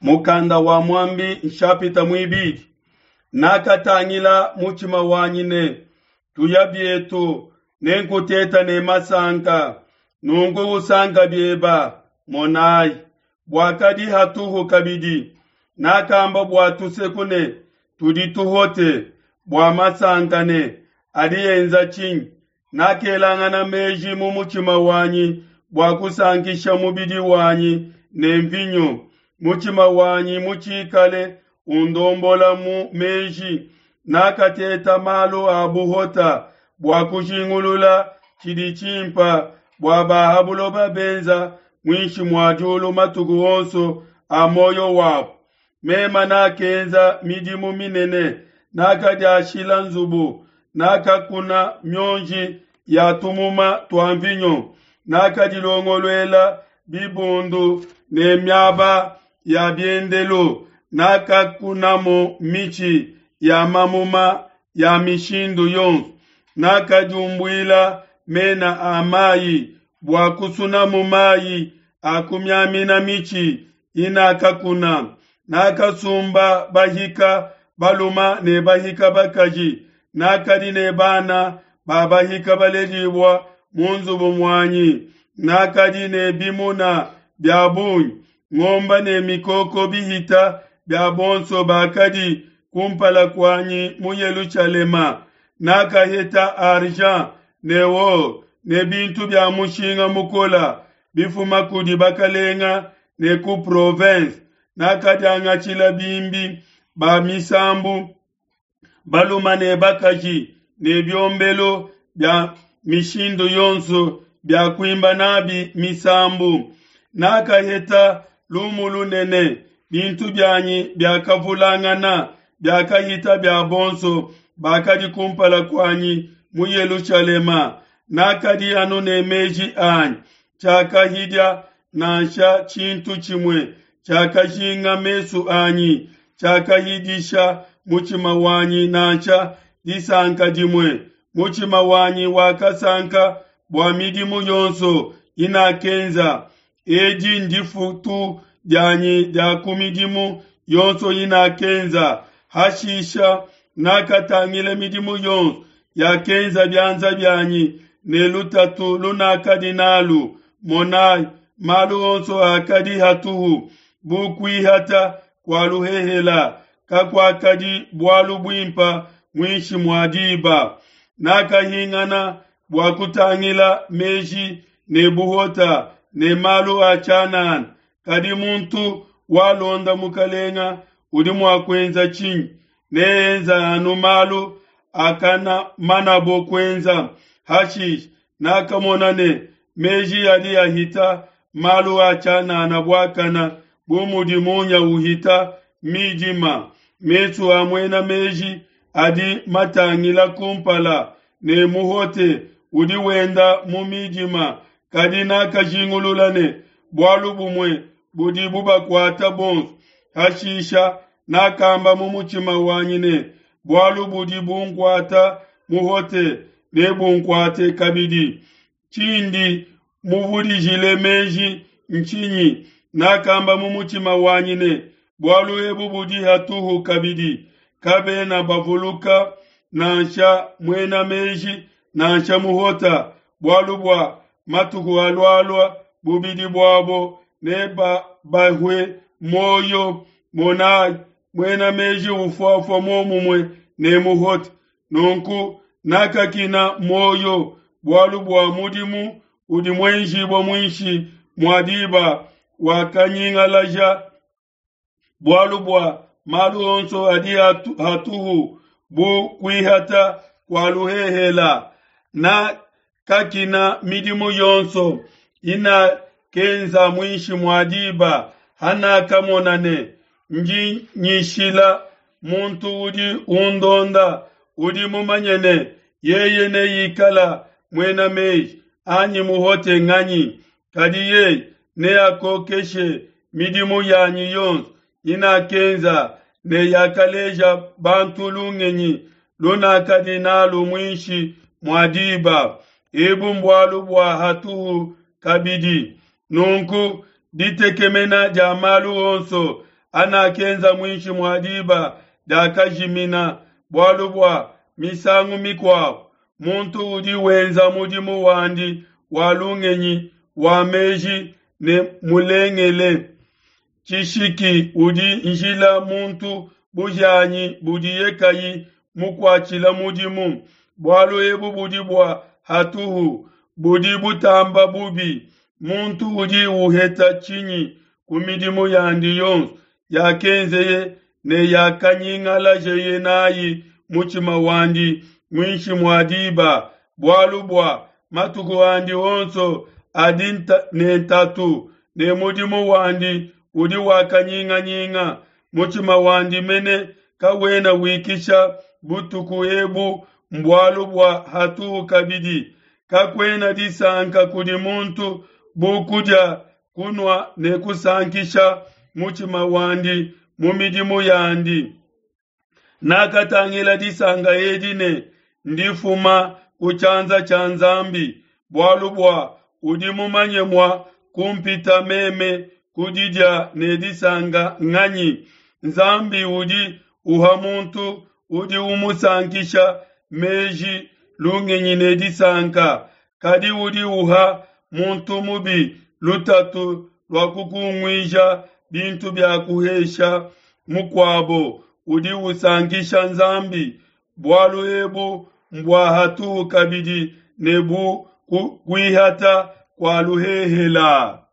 Mukanda wa Muambi nshapita muibidi. Nakatangila mutshima wanyi ne, Tuya bietu, nenkuteta ne masanka, nunku usanka bieba, monayi, buakadi hatuhu kabidi. Nakamba bua tuseku ne, Tudi tuhote, bua masanka ne, Adi enza tshinyi? Nakelangana meji mu mutshima wanyi bua kusankisha mubidi wanyi ne mvinyo, mutshima wanyi mutshikale undombola mu meji. Nakateta malu a buhota bua kujingulula tshidi tshimpa bua ba ha buloba benza muinshi mua diulu matuku onso a muoyo wabo. Mema nakenza midimu minene, nakadiashila nzubu, nakakuna mionji ya tumuma tua mvinyo, nakadilongoluela bibundu ne miaba ya biendelu, nakakunamu mitshi ya mamuma ya mishindu yonso, nakadiumbuila mena a mayi bua kusunamu mayi a kumiamina mitshi inakakuna. Nakasumba bahika baluma ne bahika bakaji, nakadi ne bana ba bahika baledibua mu nzubu muanyi. Nakadi ne bimuna bia bungi, ngomba ne mikoko bihita bia bonso bakadi kumpala kuanyi mu Yelushalema. Nakaheta argent ne or ne bintu bia mushinga mukola bifuma kudi bakalenga ne ku province. Nakadiangatshila bimbi ba misambu baluma ne bakaji ne biombelu bia mishindu yonso bia kuimba nabi misambu. Nakaheta lumu lunene, bintu bianyi biakavulangana, biakahita bia bonso bakadi kumpala kuanyi mu Yelushalema. Nakadi anu ne meji anyi, tshiakahidia nansha tshintu tshimue tshiakajinga mesu anyi, tshiakahidisha mutshima wanyi nansha disanka dimue. Mutshima wanyi wakasanka bua midimu yonso inakenza. Edi ndifutu dianyi dia ku midimu yonso inakenza. Hashisha nakatangila midimu yonso yakenza bianza bianyi ne lutatu lunakadi nalu. Monai, malu onso akadi hatuhu bu kuihata kua luhehela, kakuakadi bualu buimpa muinshi mua diba. Nakahingana bua kutangila meji ne buhota ne malu a tshianana, kadi muntu walonda Mukalenga udi mua kuenza tshinyi? Neenza anu malu akanamanabo kuenza. Hashishe nakamona ne meji adi ahita malu a tshianana buakana, bu mudi munya uhita midima. Mesu a muena meji adi matangila kumpala, ne muhote udi wenda mu midima. Kadi nakajingulula ne bualu bumue budi bubakuata bonso. Hashisha nakamba mu mutshima wanyi ne, bualu budi bunkuata muhote nebunkuate kabidi. Tshindi muvudijile meji ntshinyi? Nakamba mu mutshima wanyi ne, bualu ebu budi hatuhu kabidi. Kabena bavuluka nansha muena meji nansha muhota, bualu bua matuku alualua bubidi buabo nebabahue muoyo. Monai, muena meji ufuafua muomumue ne muhote. Nunku nakakina muoyo bualu bua mudimu udi muenjibua muinshi mua diba wakanyingalaja, bualu bua malu onso adi hatuhu bu kuihata kua luhehela. Nakakina midimu yonso inakenza muinshi mua diba, hanakamona ne ndi nyishila muntu udi undonda, udi mumanye ne yeye neikala muena meji anyi muhote nganyi? Kadi yeye neakokeshe midimu yanyi yonso inakenza ne yakaleja bantu lungenyi lunakadi nalu muinshi mua diba. Ebu mbualu bua hatuhu kabidi. Nunku ditekemena dia malu onso anakenza muinshi mua diba diakajimina, bualu bua misangu mikuabo muntu udi wenza mudimu wandi wa lungenyi wa meji ne mulengele. Tshishiki udi njila muntu buhianyi budiye kayi mukuatshila mudimu. Bualu ebu budi bua hatuhu, budi butamba bubi. Muntu udi uheta tshinyi ku midimu yandi yonso yakenzeye ne yakanyingalajeye nayi mutshima wandi muinshi mua diba? Bualu bua matuku andi onso adi ne ntatu, ne mudimu wandi udi wa kanyinganyinga. Mutshima wandi mene kawena wikisha butuku ebu mbualu bua hatuhu kabidi. Kakuena disanka kudi muntu bu kudia, kunua ne kusankisha mutshima wandi mu midimu yandi. Nakatangila disanka edi ne ndifuma ku tshianza tshia Nzambi, bualu bua udi mumanye mua kumpita meme ku didia ne disanka nganyi? Nzambi udi uha muntu udi umusankisha meji, lungenyi ne disanka, kadi udi uha muntu mubi lutatu lua kukunguija bintu bia kuhesha mukuabo udi usankisha Nzambi. Bualu ebu mbua hatuhu kabidi ne bu kuihata kua luhehela.